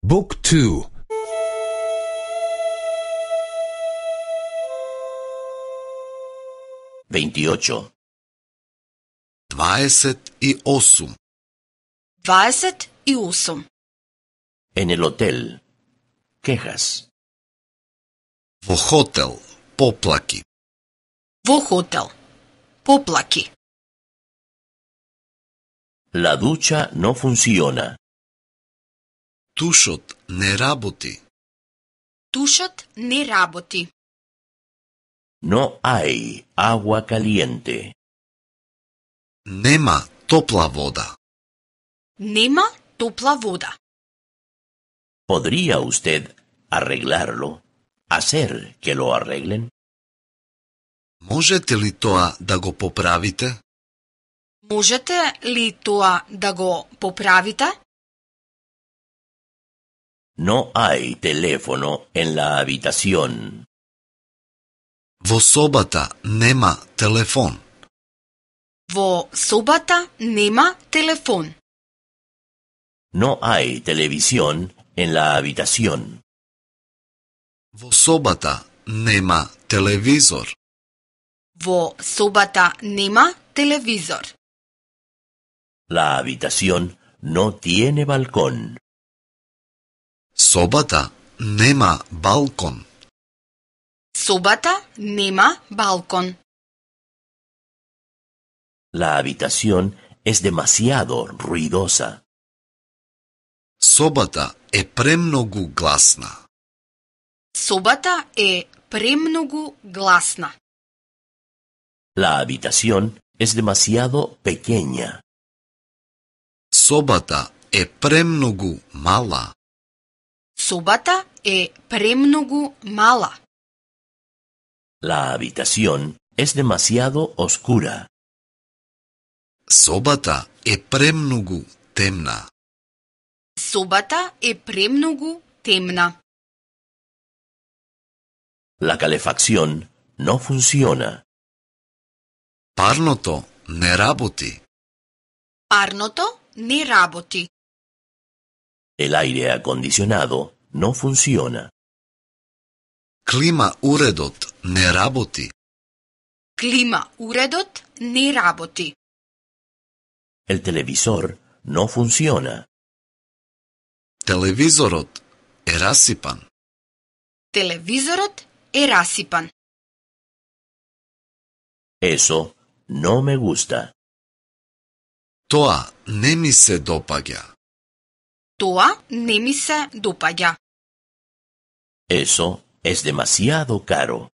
Book 2. 28. 28. 28. En el hotel. Quejas. Во хотел, поплаки. Во хотел. Поплаки. La ducha no funciona. Тушот не работи. Тушот не работи. No hay agua caliente. Нема топла вода. Нема топла вода. ¿Podría usted arreglarlo? ¿Hacer que lo arreglen? Можете ли тоа да го поправите? Можете ли тоа да го поправите? No hay teléfono en la habitación. Во собата нема телефон. Во собата нема телефон. No hay televisión en la habitación. Во собата нема телевизор. Во собата нема телевизор. La habitación no tiene balcón. Собата нема балкон. Собата нема балкон. La habitación es demasiado ruidosa. Собата е премногу гласна. Собата е премногу гласна. La habitación es demasiado pequeña. Собата е премногу мала. Собата е премногу мала. La habitación es demasiado oscura. Собата е премногу темна. Собата е премногу темна. La calefacción no funciona. Парното не работи. Парното не работи. El aire acondicionado no funciona. Клима уредот не работи. Клима уредот не работи. El televisor no funciona. Телевизорот е расипан. Телевизорот е расипан. Eso no me gusta. Тоа не ми се допаѓа. Тоа не ми се допаѓа. Eso es demasiado caro.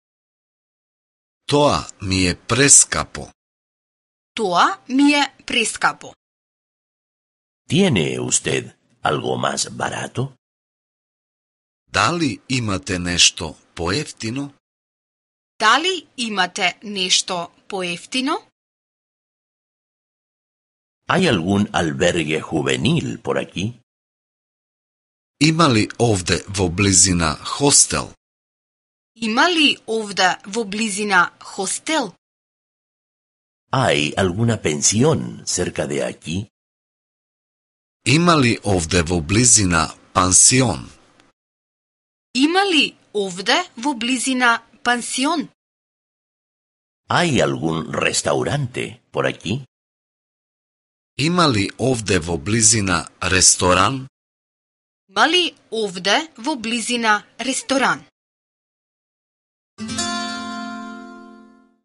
Тоа ми е прескапо. Тоа ми е прескапо. ¿Tiene usted algo más barato? Дали имате нешто поевтино? Дали имате нешто поевтино? ¿Hay algún albergue juvenil por aquí? Има ли овде во близина хостел? Има ли овде во близина хостел? ¿Hay alguna pensión cerca de aquí? Има ли овде во близина пансион? Има ли овде во близина пансион? ¿Hay algún restaurante por aquí? Има ли овде во близина ресторан? Има ли овде во близина ресторан?